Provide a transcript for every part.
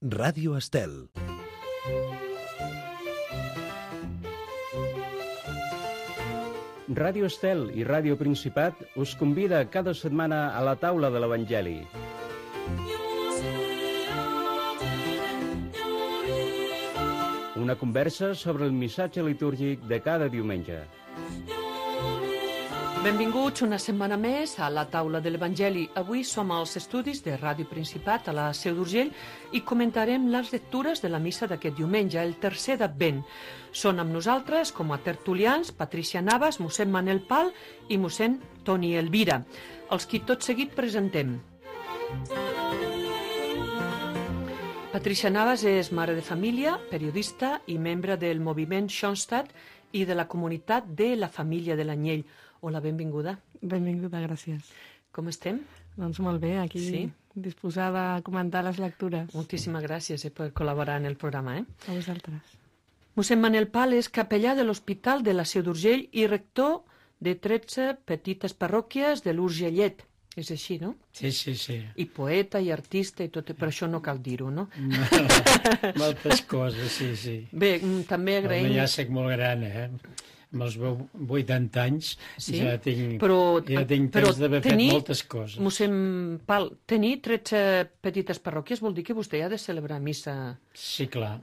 Ràdio Estel. Ràdio Estel i Ràdio Principat us convida cada setmana a la taula de l'Evangeli. Una conversa sobre el missatge litúrgic de cada diumenge. Benvinguts una setmana més a la taula de l'Evangeli. Avui som als estudis de Ràdio Principat a la Seu d'Urgell i comentarem les lectures de la missa d'aquest diumenge, el tercer d'Advent. Són amb nosaltres, com a tertulians, Patricia Navas, mossèn Manel Pal i mossèn Toni Elvira, els qui tot seguit presentem. Patricia Navas és mare de família, periodista i membre del moviment Schoenstatt i de la comunitat de la família de l'Anyell. Hola, benvinguda. Benvinguda, gràcies. Com estem? Doncs molt bé, aquí sí? Disposada a comentar les lectures. Moltíssimes gràcies per col·laborar en el programa. A vosaltres. Mossèn Manel Pal és capellà de l'Hospital de la Seu d'Urgell i rector de 13 petites parròquies de l'Urgellet. És així, no? Sí, sí, sí. I poeta i artista i tot, però això no cal dir-ho, no? Moltes coses, sí, sí. Bé, també agraïm... Ja soc molt gran, Amb els 80 anys sí? ja tinc temps d'haver fet moltes coses. Mossèn Pal, tenir 13 petites parròquies vol dir que vostè ha de celebrar missa... Sí, clar,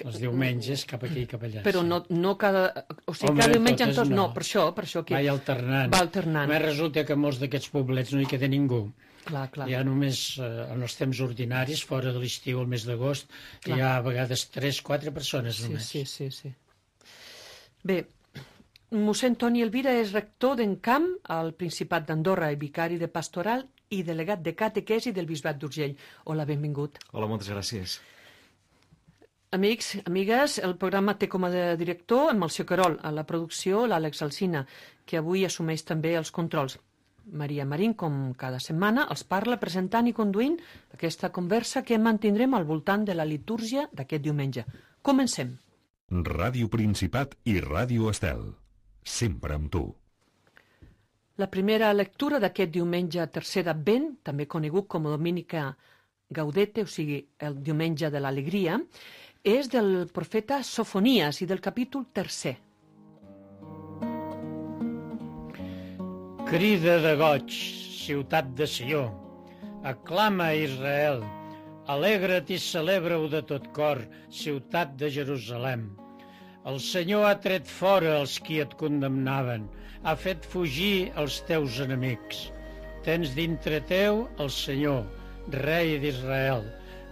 els diumenges cap aquí i cap allà. Però no cada... O sigui, cada diumenge en tots no, per això que... Va alternant. Va alternant. A més, resulta que a molts d'aquests poblets no hi queda ningú. Clar, clar. Hi ha només en els temps ordinaris, fora de l'estiu, el mes d'agost, hi ha a vegades 3-4 persones només. Sí. Bé, mossèn Toni Elvira és rector d'Encamp al Principat d'Andorra i vicari de pastoral i delegat de catequesi del Bisbat d'Urgell. Hola, benvingut. Hola, moltes gràcies. Amics, amigues, el programa té com a director en Melcior Querol, a la producció l'Àlex Alsina, que avui assumeix també els controls. Maria Marín, com cada setmana, els parla presentant i conduint aquesta conversa que mantindrem al voltant de la litúrgia d'aquest diumenge. Comencem. Ràdio Principat i Ràdio Estel. Sempre amb tu. La primera lectura d'aquest diumenge tercer d'Advent, també conegut com a Dominica Gaudete, o sigui, el diumenge de l'alegria, és del profeta Sofonies i del capítol 3. Crida de goig, ciutat de Sió, aclama Israel, alegra't i celebra-ho de tot cor, ciutat de Jerusalem. El Senyor ha tret fora els qui et condemnaven, ha fet fugir els teus enemics. Tens dintre teu el Senyor, rei d'Israel.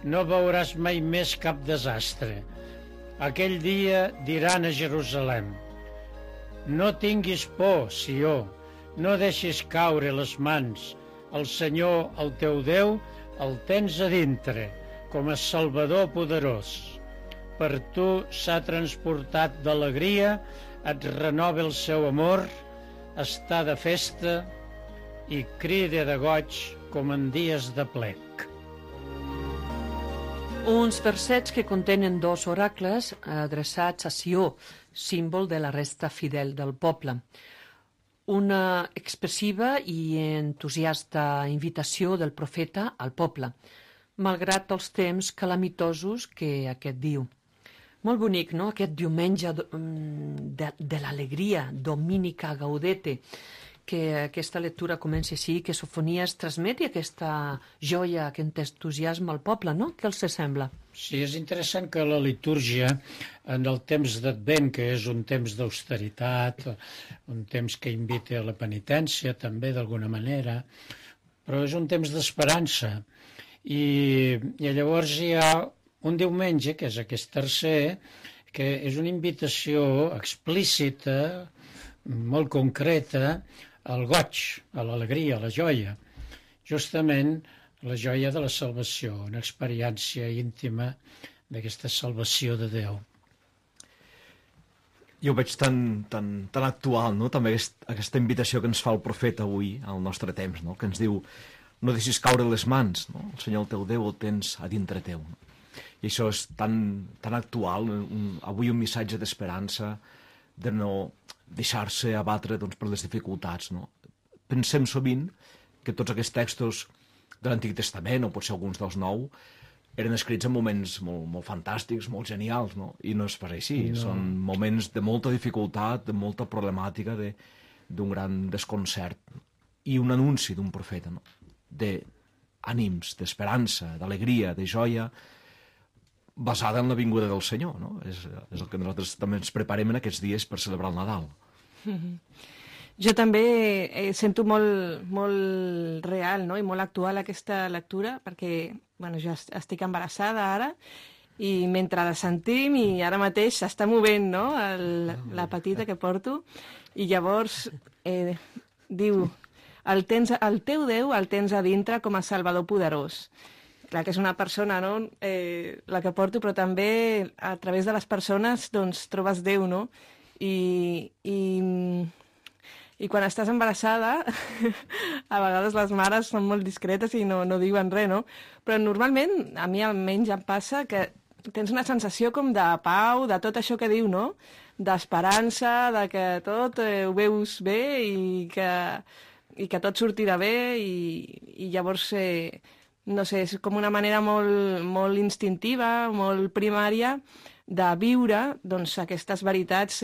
No veuràs mai més cap desastre. Aquell dia diran a Jerusalem: no tinguis por, Sió, no deixis caure les mans. El Senyor, el teu Déu, el tens a dintre, com a Salvador poderós. Per tu s'ha transportat d'alegria, et renova el seu amor, està de festa i crida de goig com en dies de plec. Uns versets que contenen dos oracles adreçats a Sió, símbol de la resta fidel del poble. Una expressiva i entusiasta invitació del profeta al poble, malgrat els temps calamitosos que aquest diu. Molt bonic, no?, aquest diumenge de l'alegria, Dominica Gaudete, que aquesta lectura comença així, que Sofonies transmeti aquesta joia, aquest entusiasme al poble, no? Què els sembla? Sí, és interessant que la litúrgia, en el temps d'Advent, que és un temps d'austeritat, un temps que invita a la penitència, també, d'alguna manera, però és un temps d'esperança. I llavors hi ha un diumenge, que és aquest tercer, que és una invitació explícita, molt concreta, al goig, a l'alegria, a la joia. Justament la joia de la salvació, una experiència íntima d'aquesta salvació de Déu. Jo ho veig tan actual, no?, també aquesta invitació que ens fa el profeta avui, al nostre temps, no?, que ens diu: no deixis caure les mans, no? El Senyor, el teu Déu, el tens a dintre teu. No? I això és tan actual, avui un missatge d'esperança, de no deixar-se abatre per les dificultats. No? Pensem sovint que tots aquests textos de l'Antic Testament, o potser alguns dels Nou, eren escrits en moments molt fantàstics, molt genials, no? I no és pas així. No. Són moments de molta dificultat, de molta problemàtica, d'un gran desconcert i un anunci d'un profeta, no? D'ànims, d'esperança, d'alegria, de joia, basada en la vinguda del Senyor, no? És el que nosaltres també ens preparem en aquests dies per celebrar el Nadal. Jo també sento molt real, no? I molt actual aquesta lectura, perquè jo estic embarassada ara, i mentre la sentim i ara mateix s'està movent, no? La petita que porto, i llavors diu: el teu Déu el tens a dintre com a Salvador poderós. Clar que és una persona, no? La que porto, però també a través de les persones doncs trobes Déu, no? I quan estàs embarassada, a vegades les mares són molt discretes i no diuen res, no? Però normalment, a mi almenys em passa que tens una sensació com de pau, de tot això que diu, no? D'esperança, de que tot ho veus bé i que tot sortirà bé i llavors, no sé, és com una manera molt instintiva, molt primària de viure doncs, aquestes veritats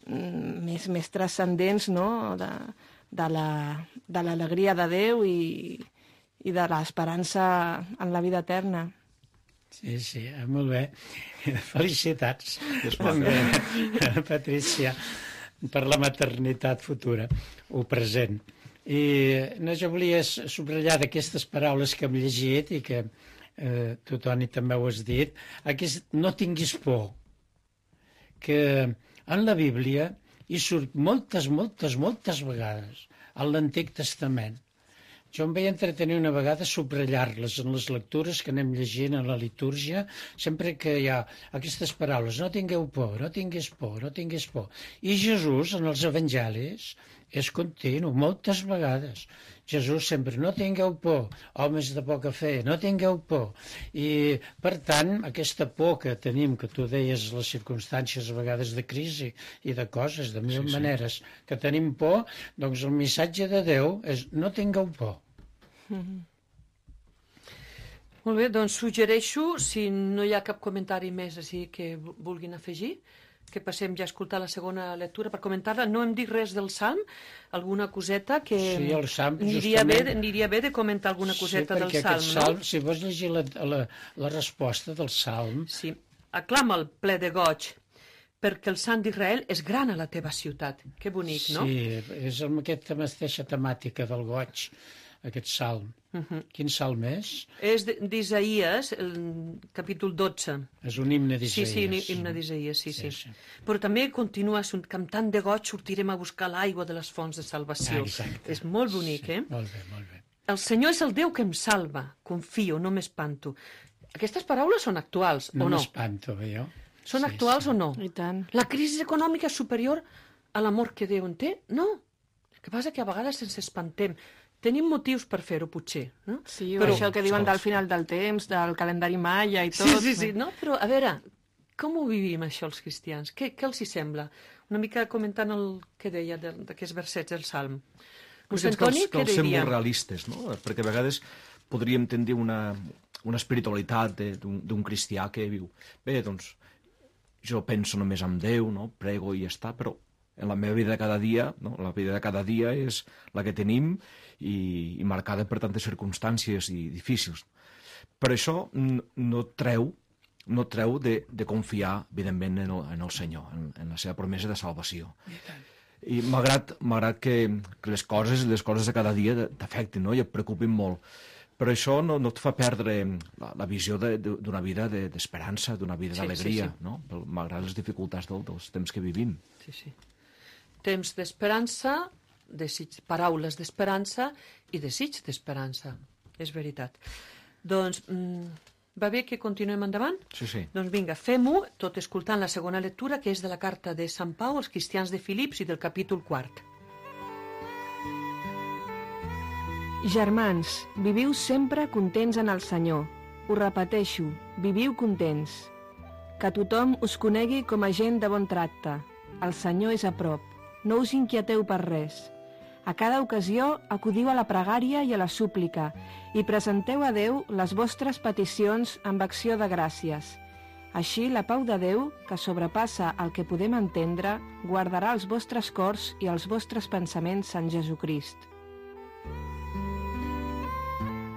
més transcendents, no? De l'alegria de Déu i de l'esperança en la vida eterna. Sí, molt bé. Felicitats, Patrícia, per la maternitat futura o present. I jo volia subratllar d'aquestes paraules que hem llegit i que tu, Toni, també ho has dit, no tinguis por, que en la Bíblia hi surt moltes vegades, en l'Antic Testament. Jo em vaig entretenir una vegada a subratllar-les en les lectures que anem llegint a la litúrgia, sempre que hi ha aquestes paraules: no tingueu por, no tinguis por, no tinguis por. I Jesús, en els evangelis, és continu, moltes vegades. Jesús sempre: no tingueu por, homes de poca fe, no tingueu por. I, per tant, aquesta por que tenim, que tu deies, les circumstàncies a vegades de crisi i de coses, de mil maneres, que tenim por, doncs el missatge de Déu és: no tingueu por. Molt bé, doncs suggereixo, si no hi ha cap comentari més així que vulguin afegir, que passem ja a escoltar la segona lectura per comentar-la. No hem dit res del Salm, alguna coseta que sí, el Salm, aniria bé de comentar alguna coseta del Salm, Salm, no? Si vols llegir la resposta del Salm... Sí, aclama el ple de goig, perquè el Sant d'Israel és gran a la teva ciutat. Que bonic, no? Sí, és amb aquesta mateixa temàtica del goig, aquest Salm. Quin Salm és? És d'Isaïes, capítol 12. És un himne d'Isaïes. Sí, himne d'Isaïes, sí. Però també continua, cantant de goig sortirem a buscar l'aigua de les fonts de salvació. Exacte. És molt bonic, sí, Molt bé. El Senyor és el Déu que em salva, confio, no m'espanto. Aquestes paraules són actuals, o no? No m'espanto, jo. Són actuals o no? I tant. La crisi econòmica és superior a l'amor que Déu en té? No. El que passa que a vegades ens espantem. Tenim motius per fer-ho, potser, no? Sí, però això que diuen del final del temps, del calendari maia i tot. Sí, no? Però, a veure, com ho vivim, això, els cristians? Què els hi sembla? Una mica comentant el que deia d'aquests versets del Salm. Vostè, Antoni, què diria? Que els sembla realistes, no? Perquè a vegades podríem tendir una espiritualitat d'un cristià que viu: bé, doncs, jo penso només en Déu, no? Prego i ja està, però en la meva vida de cada dia, no? La vida de cada dia és la que tenim i marcada per tantes circumstàncies i difícils. Però això no treu de confiar, evidentment, en el Senyor, en la seva promesa de salvació. I malgrat que les coses de cada dia t'afectin, no? I et preocupin molt. Però això no et fa perdre la visió d'una vida d'esperança, d'una vida d'alegria, no? Malgrat les dificultats dels temps que vivim. Sí. Temps d'esperança, paraules d'esperança i desig d'esperança. És veritat. Doncs va bé que continuem endavant? Sí. Doncs vinga, fem-ho, tot escoltant la segona lectura, que és de la carta de Sant Pau als cristians de Filips i del capítol 4. Germans, viviu sempre contents en el Senyor. Ho repeteixo, viviu contents. Que tothom us conegui com a gent de bon tracte. El Senyor és a prop. No us inquieteu per res. A cada ocasió acudiu a la pregària i a la súplica i presenteu a Déu les vostres peticions amb acció de gràcies. Així, la pau de Déu, que sobrepassa el que podem entendre, guardarà els vostres cors i els vostres pensaments en Jesucrist.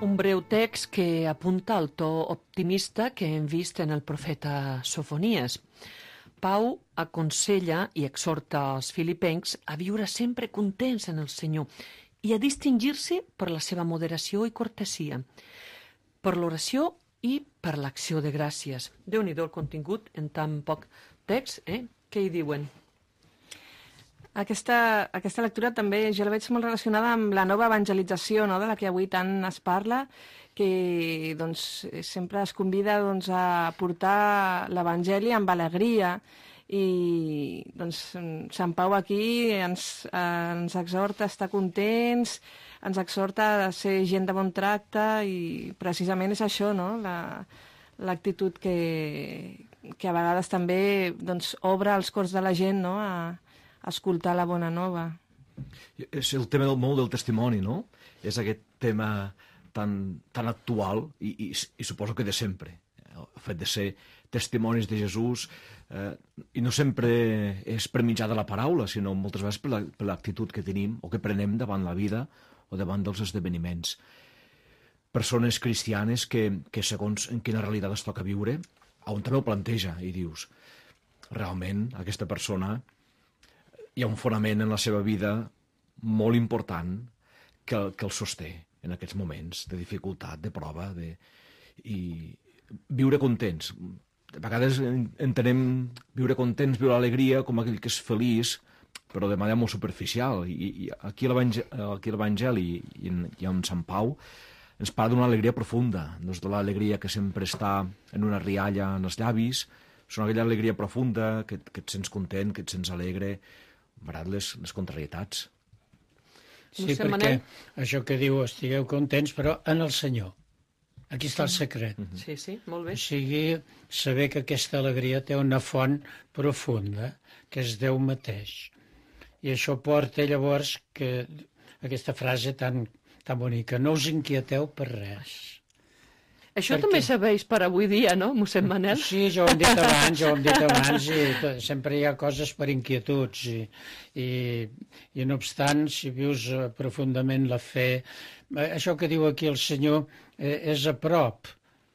Un breu text que apunta al to optimista que hem vist en el profeta Sofonies. Pau aconsella i exhorta als filipencs a viure sempre contents en el Senyor i a distingir-se per la seva moderació i cortesia, per l'oració i per l'acció de gràcies. Déu-n'hi-do el contingut en tan poc text, Què hi diuen? Aquesta lectura també jo la veig molt relacionada amb la nova evangelització, no?, de la que avui tant es parla, que doncs, sempre es convida doncs, a portar l'Evangeli amb alegria i doncs, Sant Pau aquí ens exhorta a estar contents, ens exhorta a ser gent de bon tracte i precisament és això, no?, l'actitud que a vegades també doncs, obre els cors de la gent, no?, a escoltar la bona nova. És el tema molt del testimoni, no? És aquest tema tan actual i suposo que de sempre. El fet de ser testimonis de Jesús i no sempre és per mitjà de la paraula, sinó moltes vegades per l'actitud que tenim o que prenem davant la vida o davant dels esdeveniments. Persones cristianes que segons en quina realitat es toca viure, on també ho planteja i dius, realment aquesta persona hi ha un fonament en la seva vida molt important que el sosté en aquests moments de dificultat, de prova, i viure contents. De vegades entenem viure contents, viure l'alegria com aquell que és feliç, però de manera molt superficial. I aquí l'Evangeli i en Sant Pau ens parla d'una alegria profunda, no és de l'alegria que sempre està en una rialla en els llavis, és una aquella alegria profunda, que et sents content, que et sents alegre, malgrat les contrarietats. Sí, perquè això que diu, estigueu contents, però en el Senyor. Aquí està el secret. Sí, molt bé. O sigui, saber que aquesta alegria té una font profunda, que és Déu mateix. I això porta llavors que aquesta frase tan bonica, no us inquieteu per res. Això també serveix per avui dia, no, mossèn Manel? Sí, ja ho hem dit abans, i sempre hi ha coses per inquietuds, i no obstant, si vius profundament la fe, això que diu aquí el Senyor és a prop,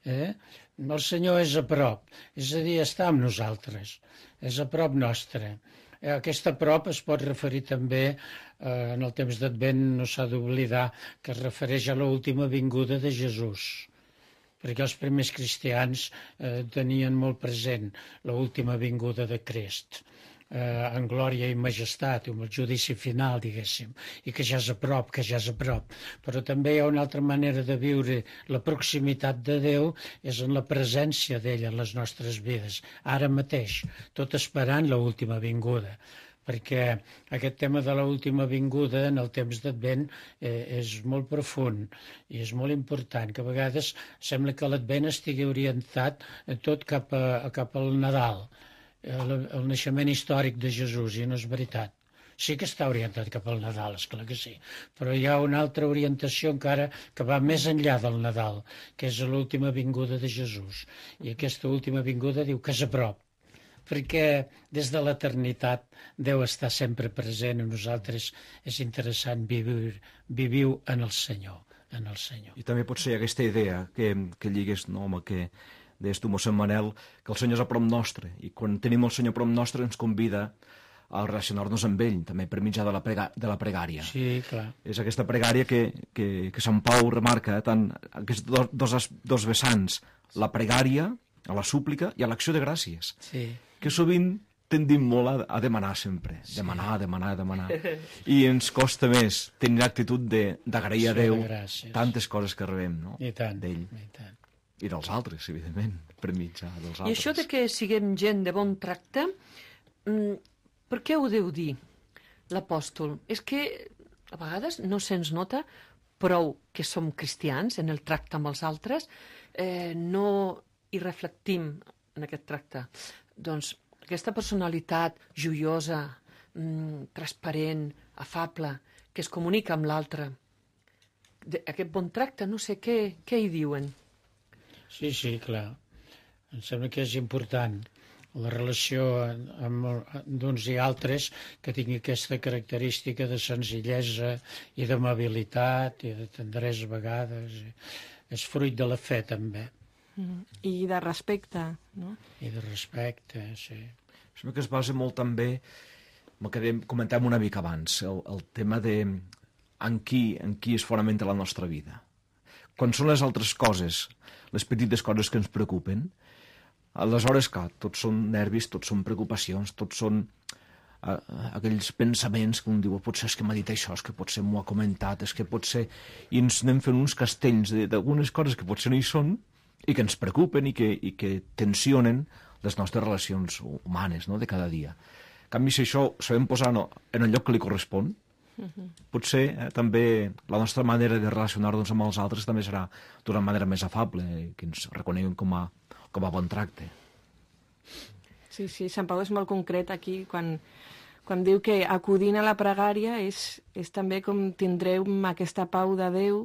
el Senyor és a prop, és a dir, està amb nosaltres, és a prop nostre. Aquesta prop es pot referir també, en el temps d'Advent no s'ha d'oblidar, que es refereix a l'última vinguda de Jesús, perquè els primers cristians tenien molt present l'última vinguda de Crist, en glòria i majestat, amb el judici final, diguéssim, i que ja és a prop, Però també hi ha una altra manera de viure la proximitat de Déu, és en la presència d'ell en les nostres vides, ara mateix, tot esperant l'última vinguda. Perquè aquest tema de l'última vinguda en el temps d'Advent és molt profund i és molt important, que a vegades sembla que l'Advent estigui orientat tot cap al Nadal, el naixement històric de Jesús, i no és veritat. Sí que està orientat cap al Nadal, esclar que sí, però hi ha una altra orientació encara que va més enllà del Nadal, que és l'última vinguda de Jesús. I aquesta última vinguda diu que és a prop, perquè des de l'eternitat Déu està sempre present a nosaltres. És interessant, viviu en el Senyor, I també pot ser aquesta idea que lligues, no, amb el que deies tu, mossèn Manel, que el Senyor és a prop nostre, i quan tenim el Senyor a prop nostre ens convida a relacionar-nos amb ell, també per mitjà de la pregària. Sí, clar. És aquesta pregària que Sant Pau remarca, tant aquests dos vessants, la pregària, a la súplica i a l'acció de gràcies, que sovint tendim molt a demanar sempre, demanar, i ens costa més tenir l'actitud d'agrair a Déu tantes coses que rebem, no? D'ell i dels altres, evidentment, per mitjà dels altres. I això de que siguem gent de bon tracte, per què ho deu dir l'apòstol? És que a vegades no se'ns nota prou que som cristians en el tracte amb els altres, no hi reflectim en aquest tracte. Doncs aquesta personalitat joiosa, transparent, afable, que es comunica amb l'altre. Aquest bon tracte, no sé, què hi diuen? Sí, clar. Em sembla que és important la relació amb d'uns i altres que tingui aquesta característica de senzillesa i d'amabilitat i de tendresa a vegades. És fruit de la fe, també. I de respecte, no? I de respecte, sí. Sembla que es basa molt també, el que comentàvem una mica abans, el tema de en qui es fonamenta la nostra vida. Quan són les altres coses, les petites coses que ens preocupen, aleshores, clar, tots són nervis, tots són preocupacions, tots són aquells pensaments que un diu, potser és que m'ha dit això, és que potser m'ho ha comentat, és que potser... I ens anem fent uns castells d'algunes coses que potser no hi són i que ens preocupen i que tensionen les nostres relacions humanes, no?, de cada dia. En canvi, si això ho sabem posar en el lloc que li correspon, potser també la nostra manera de relacionar-nos amb els altres també serà d'una manera més afable, que ens reconeguin com a bon tracte. Sí, Sant Pau és molt concret aquí, quan diu que acudint a la pregària és també com tindreu aquesta pau de Déu,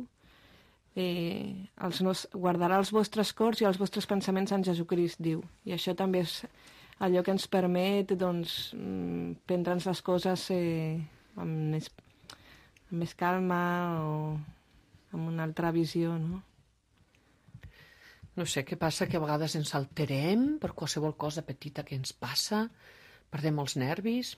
guardarà els vostres cors i els vostres pensaments en Jesucrist, diu. I això també és allò que ens permet, doncs, prendre'ns les coses amb més calma o amb una altra visió, no? No sé què passa, que a vegades ens alterem per qualsevol cosa petita que ens passa, perdem els nervis.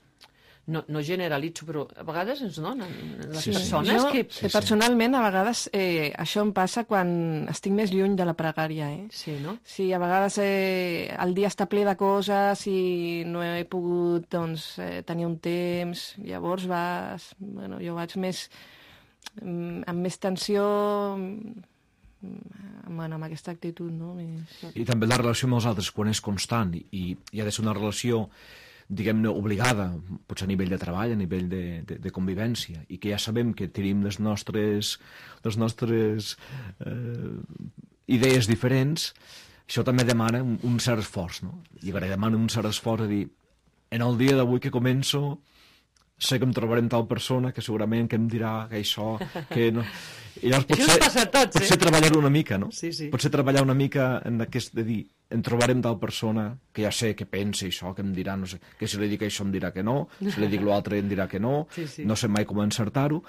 No generalitzo, però a vegades ens donen les persones que... Personalment, a vegades això em passa quan estic més lluny de la pregària, Sí, no? Sí, a vegades el dia està ple de coses i no he pogut, doncs, tenir un temps. Llavors jo vaig amb més tensió, amb aquesta actitud, no? I també la relació amb els altres, quan és constant i ha de ser una relació, diguem-ne, obligada, potser a nivell de treball, a nivell de convivència, i que ja sabem que tenim les nostres idees diferents, això també demana un cert esforç, no? I demana un cert esforç a dir, en el dia d'avui que començo, sé que em trobarem tal persona que segurament que em dirà que això, que no... I llavors això ens passa a tots, potser treballar una mica, no? Sí. Potser treballar una mica en aquest de dir, em trobarem tal persona que ja sé que pensa això, que em dirà, no sé, que si li dic això em dirà que no, si li dic l'altre em dirà que no, no sé mai com encertar-ho,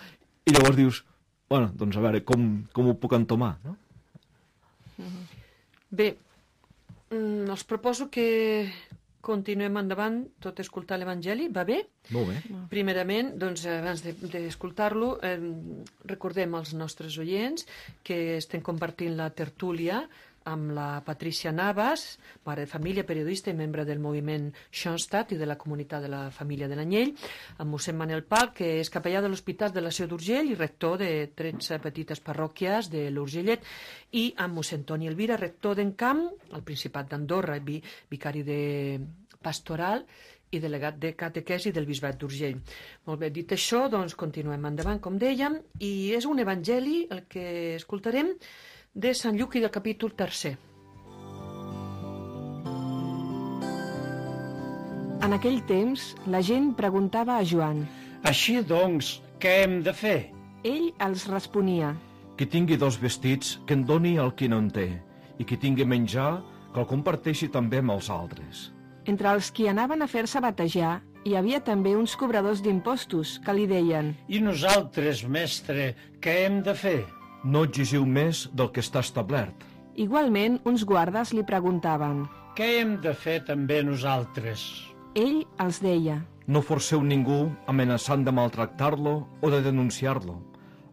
i llavors dius, bueno, doncs a veure, com ho puc entomar, no? Bé, els proposo que continuem endavant, tot escoltar l'Evangeli, va bé? Molt bé. Primerament, doncs, abans d'escoltar-lo, recordem als nostres oients que estem compartint la tertúlia amb la Patricia Navas, mare de família, periodista i membre del moviment Schoenstatt i de la comunitat de la família de l'Anyell, amb mossèn Manel Pal, que és capellà de l'Hospital de la Seu d'Urgell i rector de 13 petites parròquies de l'Urgellet, i amb mossèn Toni Elvira, rector d'Encamp, al Principat d'Andorra, vicari de pastoral i delegat de catequesi del Bisbat d'Urgell. Molt bé, dit això, doncs continuem endavant, com dèiem, i és un evangeli el que escoltarem de Sant Lluc i del capítol 3. En aquell temps, la gent preguntava a Joan. Així doncs, què hem de fer? Ell els responia. Qui tingui 2 vestits, que en doni al qui no en té, i qui tingui menjar, que el comparteixi també amb els altres. Entre els qui anaven a fer-se batejar, hi havia també uns cobradors d'impostos que li deien. I nosaltres, mestre, què hem de fer? No exigiu més del que està establert. Igualment, uns guardes li preguntaven. Què hem de fer també nosaltres? Ell els deia. No forceu ningú amenaçant de maltractar-lo o de denunciar-lo.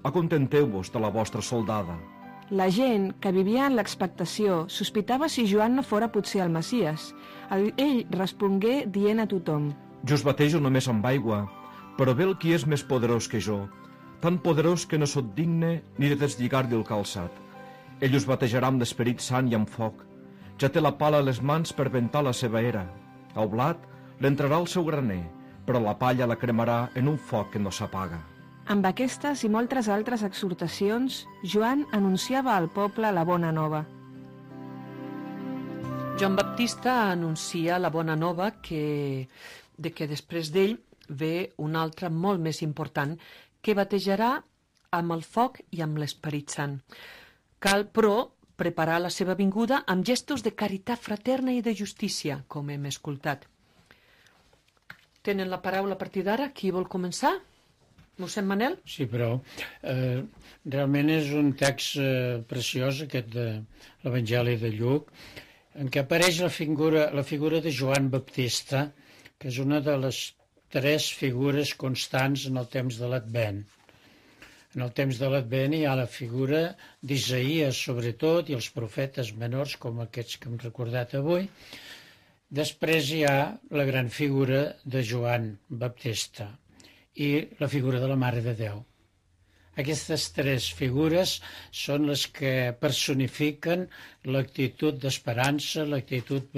Acontenteu-vos de la vostra soldada. La gent, que vivia en l'expectació, sospitava si Joan no fora potser el Messies. Ell respongué dient a tothom. Jo us batejo només amb aigua, però ve el qui és més poderós que jo, tan poderós que no sóc digne ni de deslligar-li el calçat. Ell us batejarà amb l'Esperit Sant i amb foc. Ja té la pala a les mans per ventar la seva era. El blat l'entrarà al seu graner, però la palla la cremarà en un foc que no s'apaga. Amb aquestes i moltes altres exhortacions, Joan anunciava al poble la bona nova. Joan Baptista anuncia la bona nova que després d'ell ve un altre molt més important, que batejarà amb el foc i amb l'Esperit Sant. Cal, però, preparar la seva vinguda amb gestos de caritat fraterna i de justícia, com hem escoltat. Tenen la paraula a partir d'ara. Qui vol començar? Mossèn Manel? Sí, però realment és un text preciós, aquest de l'Evangeli de Lluc, en què apareix la figura de Joan Baptista, que és una de les 3 figures constants en el temps de l'Advent. En el temps de l'Advent hi ha la figura d'Isaïes, sobretot, i els profetes menors, com aquests que hem recordat avui. Després hi ha la gran figura de Joan Baptista i la figura de la Mare de Déu. Aquestes 3 figures són les que personifiquen l'actitud d'esperança, l'actitud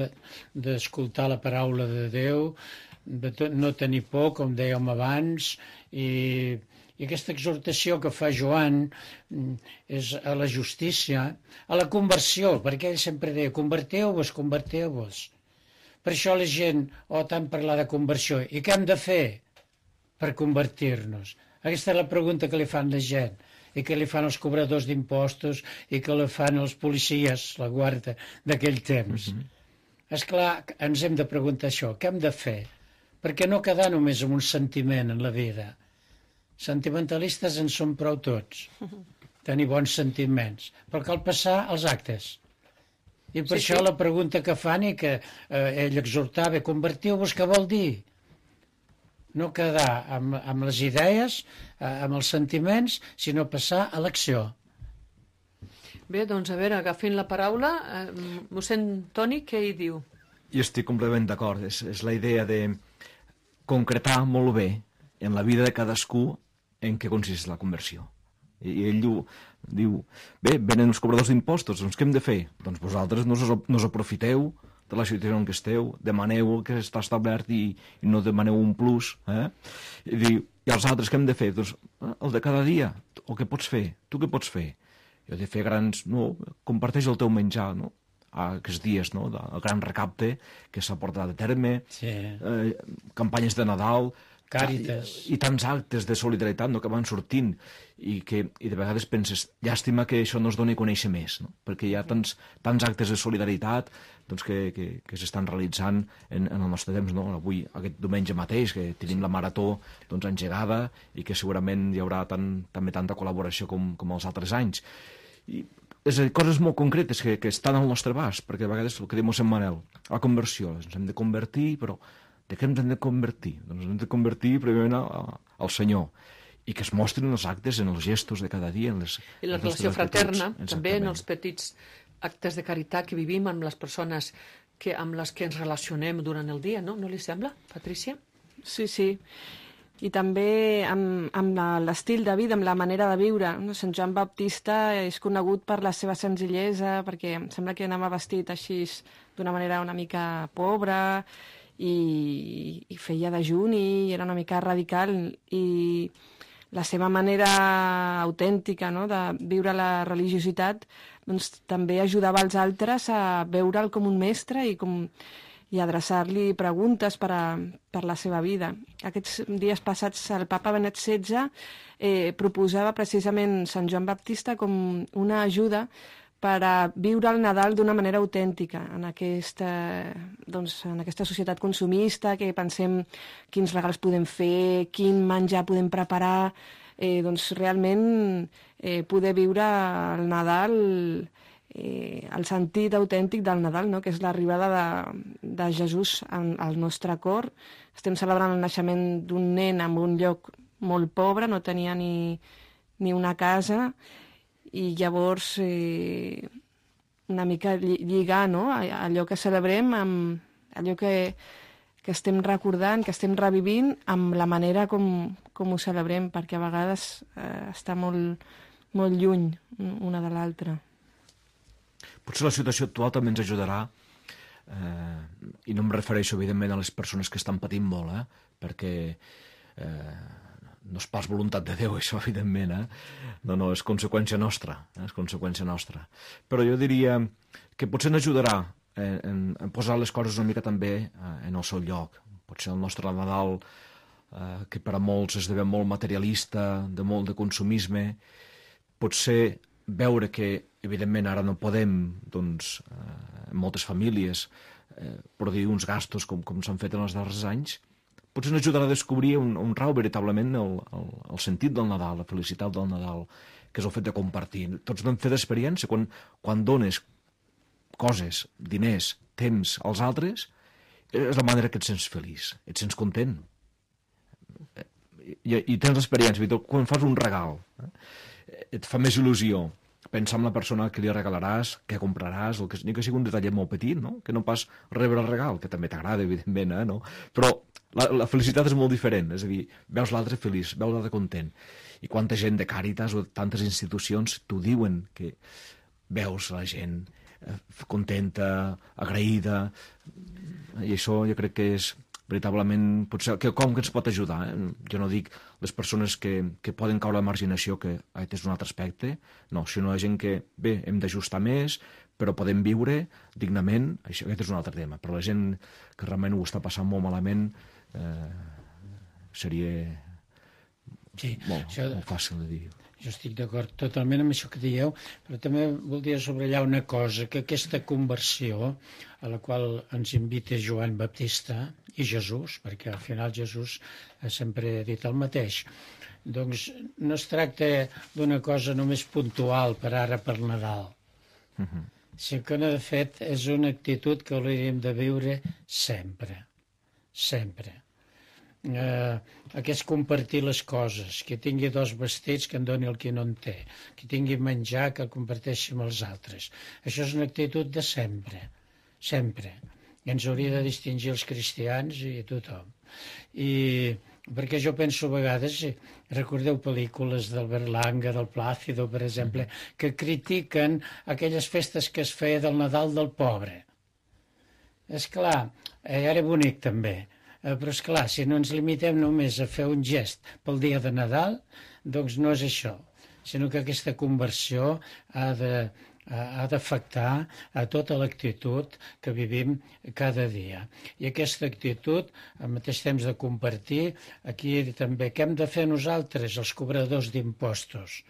d'escoltar la paraula de Déu, de no tenir por, com dèiem abans, i aquesta exhortació que fa Joan és a la justícia, a la conversió, perquè ell sempre deia, converteu-vos, converteu-vos. Per això la gent, tant parlar de conversió. I què hem de fer per convertir-nos? Aquesta és la pregunta que li fan la gent, i que li fan els cobradors d'impostos, i que li fan els policies, la guarda d'aquell temps. És clar, ens hem de preguntar això, què hem de fer? Perquè no quedar només amb un sentiment en la vida. Sentimentalistes en som prou tots, tenir bons sentiments, però cal passar als actes. I per això la pregunta que fan i que ell exhortava, convertiu-vos, què vol dir? No quedar amb les idees, amb els sentiments, sinó passar a l'acció. Bé, doncs a veure, agafin la paraula. Mossèn Toni, què hi diu? Jo estic completament d'acord. És la idea de concretar molt bé en la vida de cadascú en què consisteix la conversió. I ell diu, bé, venen els cobradors d'impostos, doncs què hem de fer? Doncs vosaltres no us aprofiteu de la situació en què esteu, demaneu el que està establert i no demaneu un plus. I diu, i els altres què hem de fer? Doncs el de cada dia, o què pots fer? Tu què pots fer? Jo he de fer grans... No, comparteix el teu menjar, no? Aquests dies, no? El gran recapte que s'ha portat a terme, campanyes de Nadal... Càritas. I tants actes de solidaritat, no?, que van sortint i de vegades penses, llàstima que això no es doni a conèixer més, no? Perquè hi ha tants actes de solidaritat doncs, que s'estan realitzant en el nostre temps, no? Avui, aquest diumenge mateix, que tenim la marató doncs, engegada i que segurament hi haurà també tanta col·laboració com els altres anys. I és a dir, coses molt concretes que estan al nostre abast, perquè a vegades el que diu mossèn Manel, la conversió, ens hem de convertir, però de què ens hem de convertir? Doncs ens hem de convertir primerament al Senyor, i que es mostrin els actes en els gestos de cada dia. I la relació fraterna, també en els petits actes de caritat que vivim amb les persones amb les que ens relacionem durant el dia, no? No li sembla, Patrícia? Sí, sí. I també amb l'estil de vida, amb la manera de viure. Sant Joan Baptista és conegut per la seva senzillesa, perquè em sembla que anava vestit així d'una manera una mica pobra, i feia dejuni, era una mica radical, i la seva manera autèntica, no?, de viure la religiositat doncs, també ajudava els altres a veure'l com un mestre i adreçar-li preguntes per la seva vida. Aquests dies passats el papa Benet XVI proposava precisament Sant Joan Baptista com una ajuda per a viure el Nadal d'una manera autèntica en aquesta societat consumista, que pensem quins regals podem fer, quin menjar podem preparar, doncs realment poder viure el Nadal, el sentit autèntic del Nadal, no?, que és l'arribada de Jesús al nostre cor. Estem celebrant el naixement d'un nen en un lloc molt pobre, no tenia ni una casa, i llavors una mica lligar, no?, allò que celebrem amb allò que estem recordant, que estem revivint, amb la manera com ho celebrem, perquè a vegades està molt, molt lluny una de l'altra. Potser la situació actual també ens ajudarà, i no em refereixo evidentment a les persones que estan patint molt, perquè no és pas voluntat de Déu, això, evidentment, No, és conseqüència nostra, és conseqüència nostra. Però jo diria que potser ens ajudarà en posar les coses una mica també en el seu lloc. Potser el nostre Nadal que per a molts esdevé molt materialista, de molt de consumisme, potser veure que, evidentment, ara no podem, doncs, en moltes famílies, produir uns gastos com s'han fet en els darrers anys, potser ens ajudarà a descobrir on rau veritablement el sentit del Nadal, la felicitat del Nadal, que és el fet de compartir. Tots vam fer d'experiència, quan dones coses, diners, temps als altres, és la manera que et sents feliç, et sents content. I tens l'experiència, quan fas un regal, et fa més il·lusió pensar en la persona que li regalaràs, que compraràs, ni que sigui un detallet molt petit, no? Que no pas rebre el regal, que també t'agrada, evidentment, no? Però la felicitat és molt diferent, és a dir, veus l'altre feliç, veus l'altre content. I quanta gent de Càritas o de tantes institucions t'ho diuen, que veus la gent contenta, agraïda, i això jo crec que és veritablement, potser, com que ens pot ajudar. Jo no dic les persones que poden caure a la marginació, que és un altre aspecte, no, sinó la gent que, bé, hem d'ajustar més, però podem viure dignament, aquest és un altre tema. Però la gent que realment ho està passant molt malament seria molt fàcil de dir. Jo estic d'acord totalment amb això que dieu, però també voldria subratllar una cosa, que aquesta conversió a la qual ens invita Joan Baptista i Jesús, perquè al final Jesús sempre ha dit el mateix, doncs no es tracta d'una cosa només puntual per ara per Nadal, sinó que de fet és una actitud que hauríem de viure sempre, sempre. Aquest compartir les coses, que tingui 2 vestits que en doni el que no en té, que tingui menjar que el comparteixi amb els altres. Això és una actitud de sempre, sempre. I ens hauria de distingir els cristians i tothom. I perquè jo penso a vegades, recordeu pel·lícules d'Albert Langa, del Plàcido, per exemple, que critiquen aquelles festes que es feia del Nadal del pobre. És clar, era bonic també, però és clar, si no ens limitem només a fer un gest pel dia de Nadal, doncs no és això, sinó que aquesta conversió ha d'afectar a tota l'actitud que vivim cada dia. I aquesta actitud, al mateix temps de compartir, aquí també, què hem de fer nosaltres, els cobradors d'impostos?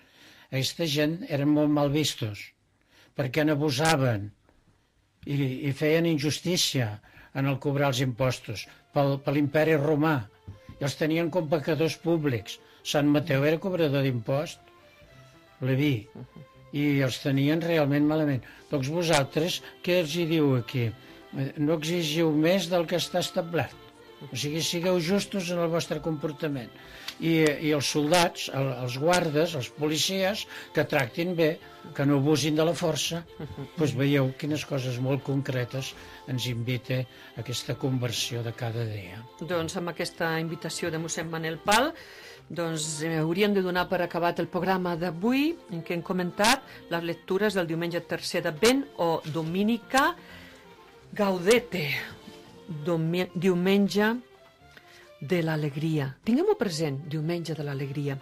Aquesta gent eren molt mal vistos, perquè n'abusaven i feien injustícia en el cobrar els impostos per l'imperi romà, i els tenien com pecadors públics. Sant Mateu era cobrador d'impost, Leví, i els tenien realment malament. Doncs vosaltres, què els hi diu aquí? No exigiu més del que està establert. O sigui, sigueu justos en el vostre comportament. I els soldats, els guardes, els policies, que tractin bé, que no abusin de la força. Doncs veieu quines coses molt concretes ens invita a aquesta conversió de cada dia. Doncs amb aquesta invitació de mossèn Manel Pal, doncs hauríem de donar per acabat el programa d'avui, en què hem comentat les lectures del diumenge tercer d'Advent o Dominica Gaudete, diumenge de l'alegria. Tinguem-ho present, diumenge de l'alegria.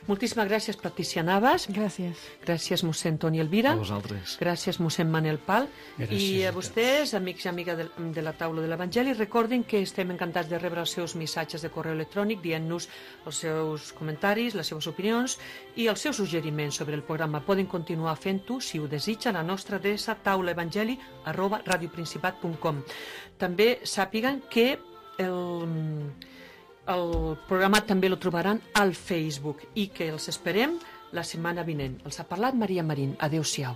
Moltíssimes gràcies, Patricia Navas. Gràcies. Gràcies, mossèn Toni Elvira. A vosaltres. Gràcies, mossèn Manel Pal. Gràcies I a a vostès, amics i amigues de la taula de l'Evangeli, recordin que estem encantats de rebre els seus missatges de correu electrònic dient-nos els seus comentaris, les seves opinions i els seus suggeriments sobre el programa. Poden continuar fent-ho, si ho desitgen, a la nostra adreça taulaevangeli@radioprincipat.com. També sàpiguen que el programa també el trobaran al Facebook i que els esperem la setmana vinent. Els ha parlat Maria Marín. Adéu-siau.